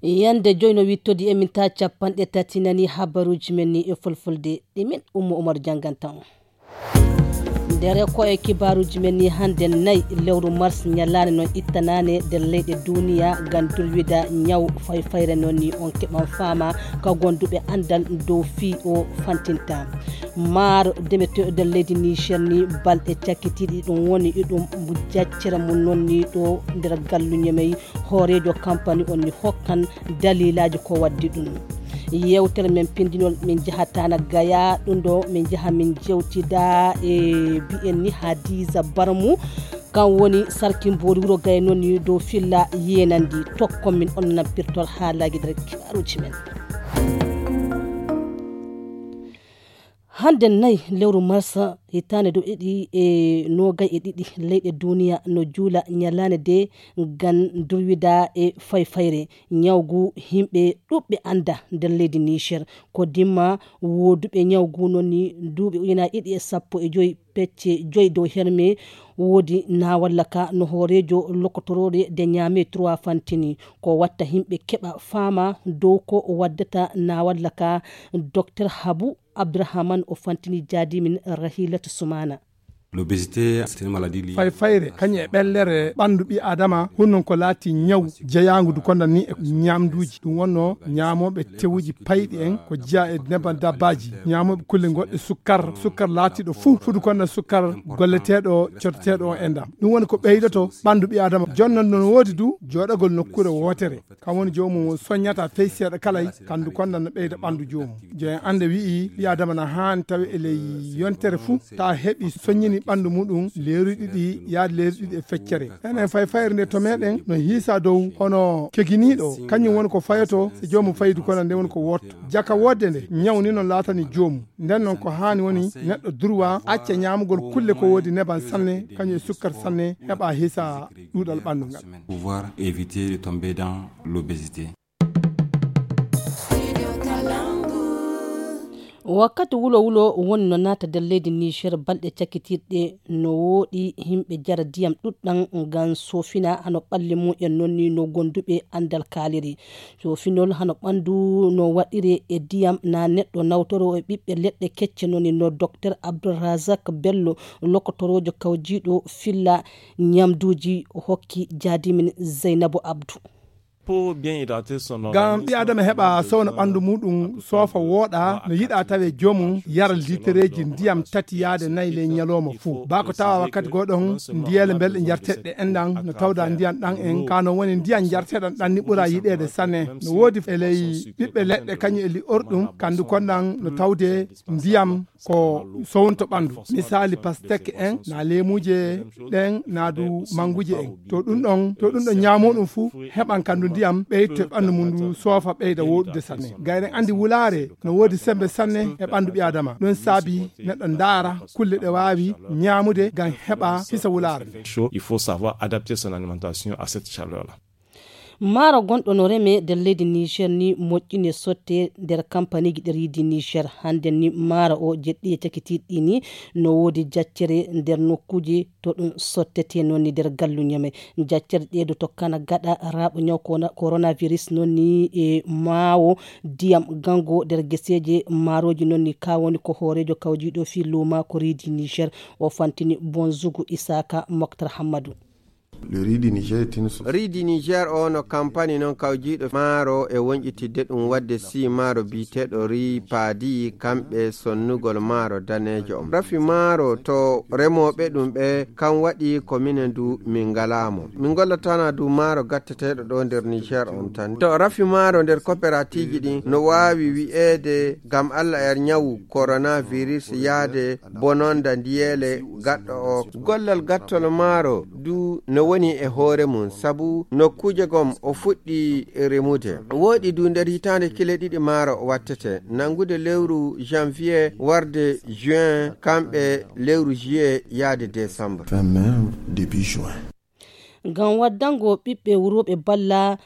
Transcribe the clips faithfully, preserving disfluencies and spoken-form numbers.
Yande joy no wittodi e min ta capanɗe tati nani habaruji men ni e fulfulde. Ɗi min Ummu Umar janganta on. Nder ko e kibaruji men ni hande nay lewru mars, nyalane non ittanane nder leyɗe duniya ngam durwida nyaw fayfayre non ni on keɓan fama ka gonduɓe andal dow fii o fantinta. Maaro demeteeɗo nder leydi Niger ni balɗe cakkitiiɗi ɗum woni iɗum jaccere mum non ni ɗo nder gallu Ñemey. Hooreejo kampani on ni hokkan daliilaaji ko waddi ɗum. Yewtere men pindinol min jahatana gaya ɗum ɗo min jaha min jewtida e bi'en ni Hadiza Barmu. Kan woni sarki mboori wuro gaya non ni dow filla yenandi tokkon min on nappirtol haalaaji nder kibaruji men. Hande nay lewru marsa hitaande dow ɗiɗi e noogay e ɗiɗi leyɗe duniya no juula nyalaande de ngam durwida e fayfayre nyawgu himɓe ɗuɓɓe anda nder leydi Niger. Ko dimma woduɓe nyawgu non ni duuɓi ujunaaji ɗiɗi e sappo e joy pecce joy dow herme wodi na walla ka no hoorejo lokotorore de nyame trois fantini ko watta himɓe keɓa fama dow ko waddata na walla ka. Docteur Habu Abdourahmane o fantini jaadimin Rahilatu Sumana. L'obésité, c'est une maladie liée fayfayre kañum e ɓellere ɓanndu ɓi adama hunnon ko laati ñaw jeyaangu du konda ni e ñaamduuji ɗum wonno ñaamooɓe tewuji payɗi en ko jeya e neban dabbaji ñaamooɓe kulle goɗɗe sukkar sukkar laatiɗo fuu fudu konda sukkar golleteeɗo cotteteeɗo on endam ɗum woni ko ɓeydoto ɓanndu ɓi adama jonnon no woodi du jooɗagol nokkure wootere kam woni joomum o soññata fey seeɗa kalay kandu konda no ɓeyda ɓanndu joomum joyen annde wi'i ɓi adama na haani tawi e ley yontere fuu ta heɓi soññini ɓanndu muɗum leeruɗi ɗiɗi yaade leeruɗi ɗiɗi e feccere enen fay fayre nde to meɗen no hiisa dow hono keginiɗo kañum woni ko fayoto e joomum fayidu kono nde woni ko wotto jaka wodde nde ñawni no laatani joomum nden noon ko haani woni neɗɗo durwa acca ñaamugol kulle ko woodi neban sanne kañum e sukkar sanne heɓa hiisa ɗuuɗal ɓanndu ngal pouvoir éviter de tomber dans l'obésité. Wakkati wulo wulo woni no naata nder leydi Niger balɗe cakkitirɗe no wooɗi himɓe jara ndiyam ɗuɗɗam ngam sofina hano ɓalli mum en nonni no gonduɓe andal kaaliri. Sofinol hano ɓandu no waɗire e ndiyam na neɗɗo nawtoro e ɓiɓɓe leɗɗe kecce nonni no Docteur Abdourazak Bello lokotorojo kawjiɗo filla ñamduuji hokki jaadimin Zeynabu Abdu. Ngam ɓi adama heɓa sowna ɓanndu muɗum soofa wooɗa no yiɗa tawe joomum yara litereeji ndiyam tati yaade nayi ley ñalooma fuu baa ko tawa wakkati goo ɗon ndiyeele mbelɗe njarteɗe enɗan no tawda ndiyan ɗan en ka no woni ndiyan njarteɗan ɗan ni ɓura yiɗeede sanne no woodi e ley ɓiɓɓe leɗɗe kañum e li'orɗum kanndu konɗan no tawde ndiyam ko sownto ɓanndu misali pasteke en na leemuuje ɗen na du mannguuje en to ɗum ɗon to ɗum ɗon ñaamoɗum fuu heɓan kanndu ndiyam ɓeyto e ɓanndu mum ndu soofa ɓeyda woɗude sanne gayɗen anndi wulaare no woodi semmbe sanne e ɓanndu ɓi adama ɗum saabi neɗɗo ndaara kulle ɗe waawi ñaamude ngam heɓa hisa wulaare nde. Il faut savoir adapter son alimentation à cette chaleur là. Maaro gonɗo no reme nder leydi Niger ni moƴƴine sotte nder kampaniji ɗeriji Niger. Hande ni maaro o jeɗɗi e cakitiɗɗi ni no woodi jaccere nder nokkuji to ɗum sottete noon ni nder gallu Niamey. Jaccere ɗe du tokkana gaɗa raaɓo ñaw kona-, coronavirus noon ni e maawo ndiyam gango nder geseeje maaroji noon ni ka woni ko hooreejo kawjiɗo fii luuma ko riidi Niger. O fantini Bonzugu Isaka Moktar Hammadu. Le riz du Niger est une source. Riz du Niger o no kampani noon kawjiiɗo maaro e wonƴitidde ɗum waɗde sii maaro biyeteeɗo riz paadi kamɓe sonnugol maaro daneejo on. Rafi maaro to remooɓe ɗum ɓe kam waɗi ko minen du min ngalaa mo. Min ngollatana du maaro gatteteeɗo ɗo nder Niger on tan. To rafi maaro nder koperatiiji ɗin no waawi wi'eede ngam Alla er ñawu coronavirus yaade bononda ndiyeele gaɗɗo o. Gollal gattol maaro du no woni e hoore mum sabu nokkuuje gom o fuɗɗi remude. Wooɗi du nder hitaande kile ɗiɗi maaro wattete, nanngude lewru janvier warde juin, kamɓe lewru juillet yaade décembre. Fin mai, début juin. Ngam waddango ɓiɓɓe wurooɓe balla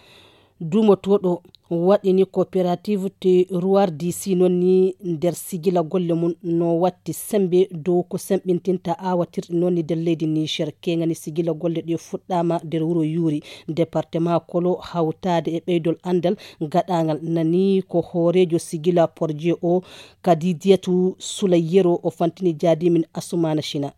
duumotooɗo Waɗini coopérative te ruwar disi noon ni nder sigila golle mum no watti sembe dow ko semɓintinta awatirɗe noon ni nder leydi Niger. Keŋani sigila golle ɗe fuɗɗama nder wuro Yuri, département Kolo, hawtade e ɓeydol andal gaɗangal nani ko hoorejo sigila porje o, Kadidiyatu Sulayyero, o fantini jaadimin Asumana Shina.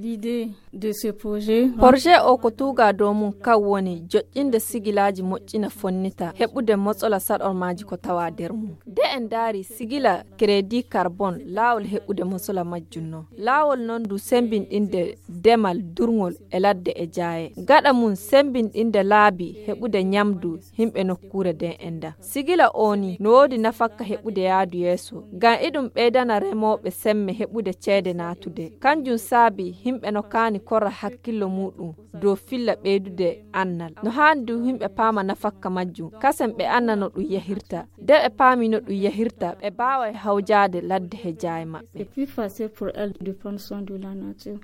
L'idée de ce projet porje o ko tuuga dow mum kan woni joƴƴinde sigilaaji moƴƴina fonnita heɓude mosola saɗormaaji ko tawa nder mum. Nde en ndaari sigila crédit carbone, laawol heɓude mosola majjum non, laawol non ndu sembinɗinde demal durngol e ladde e jaaye, gaɗa mum sembinɗinde laabi heɓude ñamdu yimɓe nokkuure nden enda. Sigila o ni no woodi nafakka heɓude yaadu yeeso, ngam iɗum ɓeydana remooɓe semme heɓude ceede naatude. Kanjum saabi yimɓe no kaani korra hakkillo muɗum dow filla ɓeydude annal. No haani du yimɓe paama nafakka majjum, kasen ɓe anna no ɗum yahirta. Nde ɓe paami no ɗum yahirta, ɓe baaway hawjaade ladde he jaaye maɓɓe. C'est plus facile pour elle de prendre soin de la nature.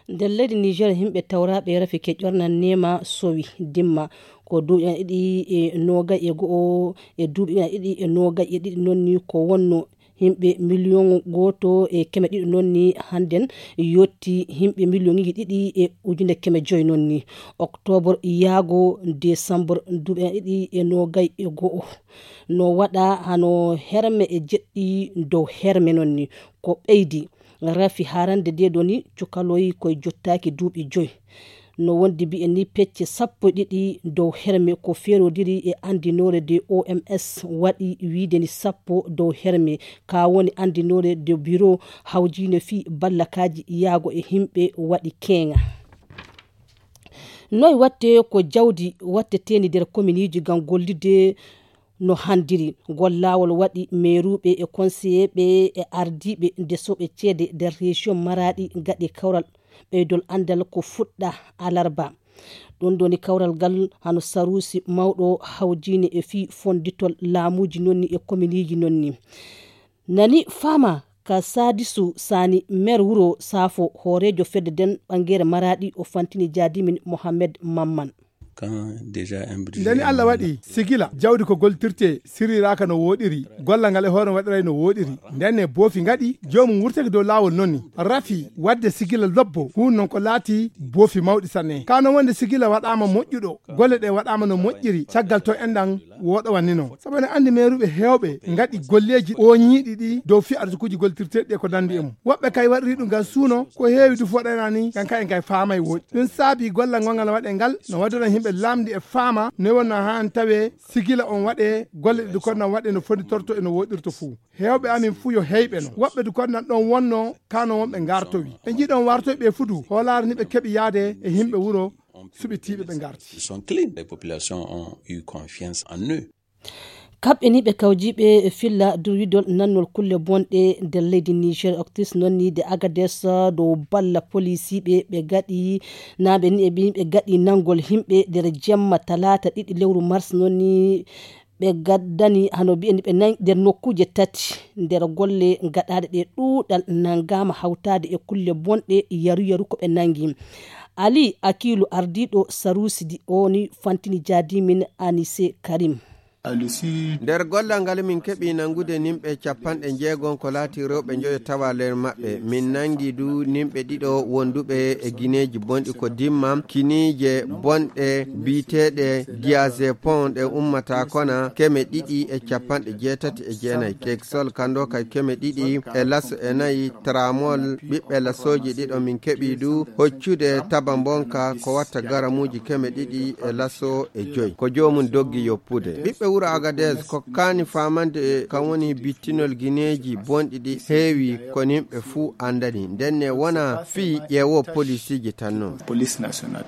Nder leydi Niger, yimɓe tawraɓe rafi ke ƴornan nema sowi dimma ko duuɓi ina ɗiɗi e nogay e go'o e duuɓi ina ɗiɗi e nogay e ɗiɗi noon ni ko wonno yimɓe miliyon gooto e keme ɗiɗi noon ni hannden yotti yimɓe miliyoŋiji ɗiɗi e ujunere keme joyi noon ni. Octobre yaago décembre duuɓi ina ɗiɗi e nogay e go'o no waɗa hano herme e jeɗɗi dow herme noon ni ko ɓeydi. Rafi harande nde ɗo ni cukaloyi koye jottaaki duuɓi joyi. No wondi mbiyen ni pecce sappo e ɗiɗi dow herme ko ferodiri e andinoore nde O M S waɗi wiide ni sappo dow herme ka woni andinoore nde biro hawjine fii ballakaaji yaago e himɓe waɗi keeŋa. Noy watte ko jawdi watteteeni nder kominiji ngam gollide no handiri. Ngol laawol waɗi meeruɓe e konseyeeɓe e ardiiɓe ndesoɓe ceede nder rejiyon Maraɗi gaɗi kawral ɓeydol anndal ko fuɗɗa alarba. Ɗum ɗoni kawral ngal hano sarusi mawɗo hawjine e fii fonditol laamuuji nonni e kominiiji nonni. Nani faama ka Sadisu Sani, mer wuro Safo, hooreejo fedde nden ɓangere Maraɗi, o fantini jaadimin Mohammed Mamman. Ndeni Allah waɗi sigila jawdi ko goltirte siriraaka no wooɗiri, gollal ngal e hoore waɗiray no wooɗiri. Ndenne boofi ngaɗi, joomum wurtake dow laawol nonni. Rafi waɗde sigila lobbo, huun non ko laati boofi mawɗi sanne. Kano wonde sigila waɗaama moƴƴuɗo, golle ɗe waɗaama no moƴƴiri, caggal to enɗan woɗo wannino. Sabu ene anndi meeruɓe heewɓe ngaɗi golleeji ooñiiɗi ɗi dow fii arsukuuji goltirteeɗi e ko nanndi e mum. Woɓɓe kay waɗiri ɗum ngam suuno, ko heewi du foɗanani ngam kay en kay faamay wooɗi. Ɗum saabi gollal ngongal waɗe ngal no waddana yimɓe lamndi e faama ne wonno haan tawe sigila on waɗe golle ɗi du konnan waɗe no fonditorto e no woɗirto fuu. Heewɓe amin fuu yo heyɓe no. Woɓɓe du konnan ɗon wonno kano wonɓe ngartowi. Ɓe njiɗon wartoy ɓe fudu hoolaare ni ɓe keɓi yaade e yimɓe wuro suɓitiiɓe ɓe ngarti. Ils sont clean. Les populations ont eu confiance en eux. Kamɓe ni ɓe kawjiiɓe e filla durwidol nannol kulle bonɗe nder leydi Niger, Octis noon ni de Agades dow balla polisiiɓe ɓe gaɗi naaɓe ni e ɓe ɓe gaɗi nanngol yimɓe nder jemma talaata ɗiɗi lewru mars noon ni ɓe gaddani hano mbiyen ɓe nangi nder nokkuuje tati nder golle gaɗaaɗe ɗe ɗuuɗal nanngaama hawtaade e kulle bonɗe yaru yaru ko ɓe nangi. Ali Akilu ardiiɗo Sarusi di o ni fantini jaadimin Anise Karim. Nder gollal ngal min keɓi nanngude nimɓe capanɗe njeegon ko laati rewɓe njoyo tawa nder maɓɓe. Min nanngi du nimɓe ɗiɗo wonduɓe e gineeji bonɗi ko dimma kiniije bonɗe biyeteeɗe diazepam ɗe ummata kona keme ɗiɗi e capanɗe jeetati e jeenayi, Dexol kando kay keme ɗiɗi e laso e nayi, Tramol ɓiɓɓe lasooji ɗiɗo min keɓi du hoccude taba mbonka ko watta garamuuji keme ɗiɗi e laso e joyi. Ko joomum doggi yoppude. Ɓiɓɓe wuro Agadez kokkaani faamande e kam woni bittinol gineeji bonɗi ɗi heewi ko nimɓe fuu anndani. Ndenne wona fii ƴeewo polisiiji tan non. Police nationale.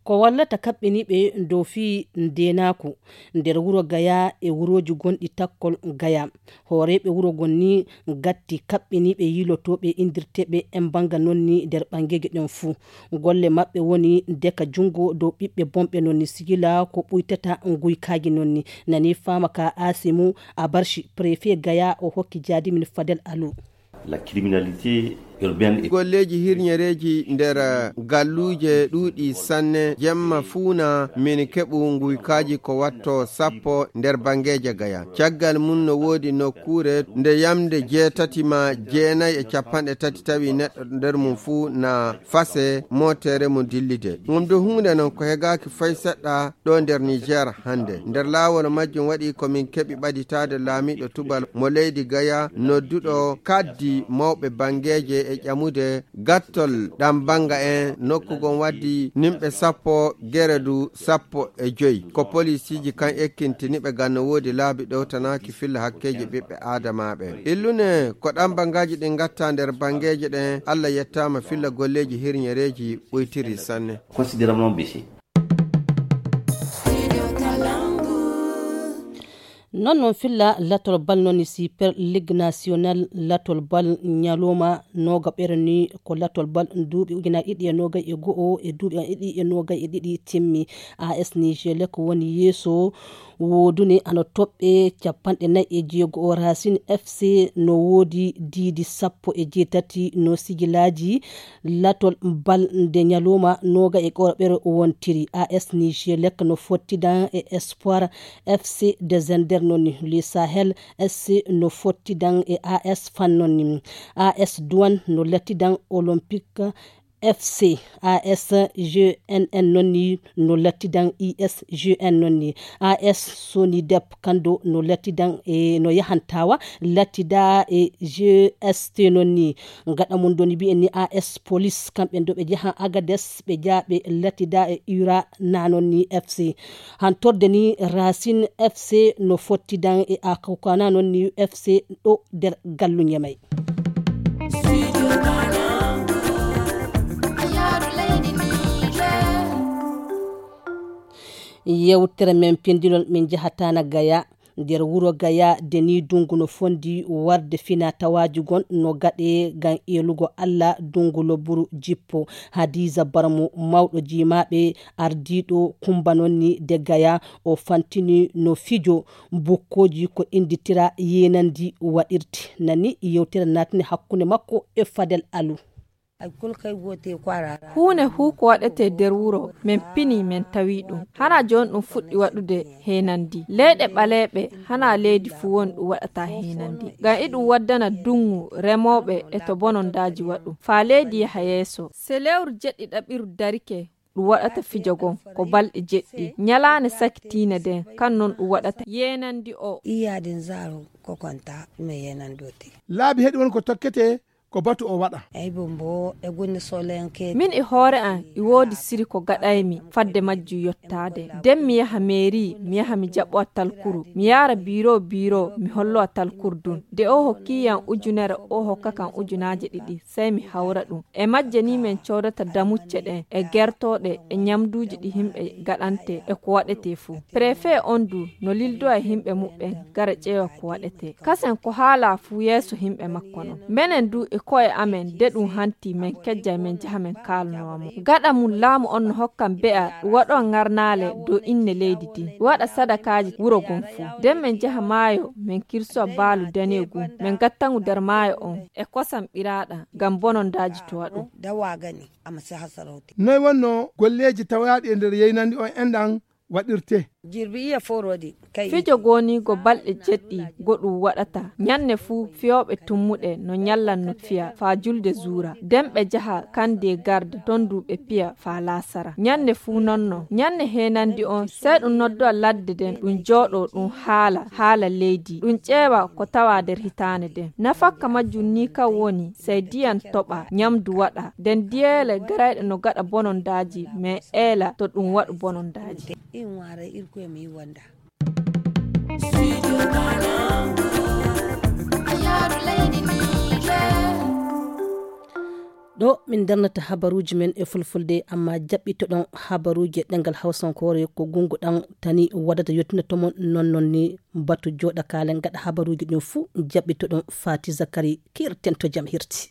Ko wallata kaɓɓiniiɓe dow fii ndeenaaku nder wuro Gaya e wurooji gonɗi takkol Gaya. Hooreeɓe wuro gon ni gatti kaɓɓiniiɓe yiilotooɓe indirteeɓe en bannga non ni nder ɓanngeeje ɗen fuu. Golle maɓɓe woni deka junngo dow ɓiɓɓe bonɓe non ni sigila ko ɓuytata nguykaaji non ni. Nani faama ka Asimu Abarshi, préfet Gaya, o hokki jaadimin Fadel Alu. La criminalité Golleeji hirñereeji nder galluuje ɗuuɗi sanne. Jemma fuu na min keɓu nguykaaji ko watto sappo nder banngeeje Gaya. Caggal mum no woodi nokkuure nde yamnde jeetati ma jeenayi e capanɗe tati tawi neɗɗo nder mum fuu na fase mootere mum dillide. Ɗum du huunde non ko hegaaki fay seɗɗa ɗo nder Niger hannde. Nder laawol majjum waɗi ko min keɓi ɓaditaade laamiiɗo tubal mo leydi Gaya, nodduɗo kaddi mawɓe banngeeje e ƴamude gattol ɗam bannga en. Nokku gon waddi nimɓe sappo, gere du sappo e joyi. Ko polisiiji kan ekkintini ɓe ngam no woodi laabi ɗowtanaaki filla hakkeeji ɓiɓɓe aadamaaɓe. Illune ko ɗam banngaji ɗin ngatta nder banngeeje ɗen. Allah yettaama filla golleeji hirñereeji ɓoytiri sanne. Non non filla latol bal non si per ligue national latol bal ñaloma noga ɓerni ko latol bal duuɓi ujunaaji ɗiɗi e noga e go'o e duuɓi ɗiɗi e noga e ɗiɗi timmi. As nigelec woni yeeso woodune ana toɓɓe capanɗe nayi e jeego o. Racine F C no woodi diidi sappo e jeetati no sigilaaji latol bal nde ñaluma noga e go'o ɓere wontiri. As nigelec no fottidan e espoir F C de zender noni le sahel S C no fottidan e A S fan noni. A S Douane no lattidan Olympique F C. A S G N N nonni no lattidan I S G N nonni. A S Sonidep kando no lattidan e no yahantawa lattida e G S T nonni. Gaɗa mum doni mbiyen ni A S Police kamɓe do ɓe jaha Agades ɓe jaa ɓe lattida e Ura na nonni F C. Hantorde ni Racine F C no fottidan e Akokana nonni F C ɗo nder gallu Ñamay. Yewtere men pindinol min jahatana Gaya. Nder wuro Gaya de ni dungu no fondi warde fina tawaji gon no gaɗe ngam elugo Allah dungu loburu jippo. Hadiza Barmo mawɗo jimaɓe ardiɗo kumba nonni de Gaya o fantini no fijo bukkoji ko inditira yenandi waɗirte. Nani yewtere natini hakkunde makko e Fadel Alu. Huune huu ko waɗetee nder wuro, men pinii, men tawii ɗum. Hana jooni ɗum fuɗɗi waɗude heenandi. Leyɗe ɓaleeɓe, hana leydi fuu woni ɗum waɗata heenandi. Ngam iɗum waddana duŋŋu remooɓe e to bonondaaji waɗu. Faa leydi yaha yeeso. Se lewru jeɗɗiɗaɓiru darike, ɗum waɗata fijo gon, ko balɗe jeɗɗi. Ñalaande sakitiinde nden, kan non ɗum waɗata yeenandi o. Iyaade nzaaru ko konta, ɗum e yeenandi o tigi. Laabi heɗi won ko tokketee, ko batu o waɗa. Ay, bombo, e gunne solenke. Min e hoore an, e woodi siri ko gaɗaymi fadde majjum yottaade. Den mi yaha meeri, mi yaha mi jaɓowa talkuru, mi yaara biiro biiro, mi hollowa talkuru dun. De o hokki yan ujunere, o hokka kan ujunaaje ɗiɗi, sey mi hawra ɗum. E majje ni men coodata damucce ɗen, e gertooɗe, e ñamduuji ɗi himɓe gaɗante, e ko waɗetee fuu. Prefet on du no lildowa e himɓe muɓɓen, gara ƴeewa ko waɗetee. Kasen ko haala fuu yeeso himɓe makko non. Menen du e ko'e amen, de ɗum hanti men kejjay men jaha men kaalnowa mo. Gaɗa mum laamu on no hokkan be'a ɗum waɗowa ŋarnaale dow inne leydi din, ɗum waɗa sadakaaji wuro gon fuu. Den men jaha maayo, men kirsowa baalu daneegun, men gatta ngu nder maayo on, e kosam ɓiraaɗam, ngam bonondaaji towa ɗum. Dawa gani, ama si hasarauti. Noy wonno golleeji tawaaɗi e nder yeynandi on enɗan waɗirte? Jirbi iya forodi, kay. Fijo gooniigo balɗe jeɗɗi go ɗum waɗata. Ñanne fuu fiyooɓe tummuɗe no ñallan no fiya faa julde zuura. Den ɓe jaha kande garde, ton du ɓe piya faa laasara. Ñanne fuu non non. Ñanne heenandi on, sey ɗum noddowa ladde den, ɗum jooɗoo ɗum haala, haala leydi. Ɗum ƴeewa ko tawa nder hitaande den. Nafakka majjum ni kan woni, sey diyan toɓa, ñamdu waɗa. Den diyeele garayɗe no gaɗa bonondaaji, men eela to ɗum waɗu bonondaaji. In waara irkoye mi wonda. Ɗo min darnata habaruuji men e fulfulde, amma jaɓɓitoɗon habaruuji e ɗemngal hawsankoore ko gungu ɗan tani waɗata yottina to mon non non ni batu jooɗa kaalen gaɗa habaruuji ɗin fuu jaɓɓitoɗon Fati Zakari kirten to jam hirti.